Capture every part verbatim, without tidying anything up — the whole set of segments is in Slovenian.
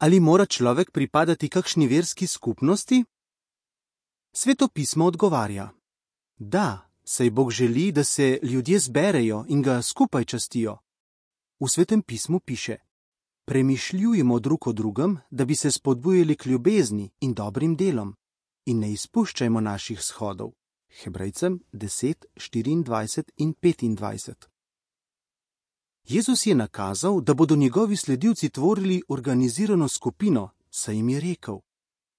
Ali mora človek pripadati kakšni verski skupnosti? Sveto pismo odgovarja: da, saj Bog želi, da se ljudje zberejo in ga skupaj častijo. V Svetem pismu piše: premišljujmo drug o drugem, da bi se spodbujali k ljubezni in dobrim delom, in ne izpuščajmo naših shodov. Hebrejcem deset, štiriindvajset in petindvajset. Jezus je nakazal, da bodo njegovi sledilci tvorili organizirano skupino, saj jim je rekel: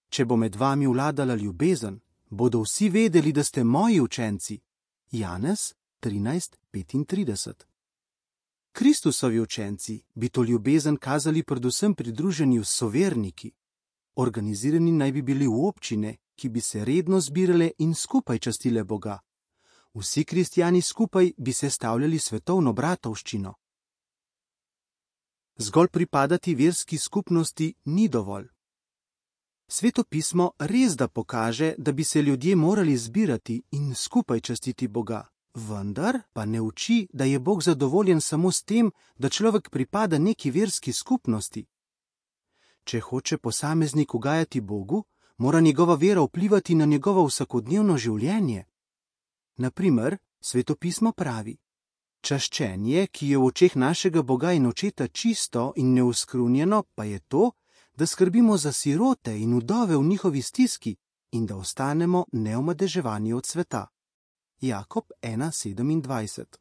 če bo med vami vladala ljubezen, bodo vsi vedeli, da ste moji učenci. Janez trinajst, petintrideset. Kristusovi učenci bi to ljubezen kazali predvsem pri druženju s soverniki. Organizirani naj bi bili v občine, ki bi se redno zbirale in skupaj častile Boga. Vsi kristjani skupaj bi sestavljali svetovno bratovščino. Zgolj pripadati verski skupnosti ni dovolj. Sveto pismo res da pokaže, da bi se ljudje morali zbirati in skupaj častiti Boga, vendar pa ne uči, da je Bog zadovoljen samo s tem, da človek pripada neki verski skupnosti. Če hoče posameznik ugajati Bogu, mora njegova vera vplivati na njegovo vsakodnevno življenje. Na primer, Sveto pismo pravi: čaščenje, ki je v očeh našega Boga in Očeta čisto in neuskrunjeno, pa je to, da skrbimo za sirote in vdove v njihovi stiski in da ostanemo neomadeževani od sveta. Jakob ena sedemindvajset.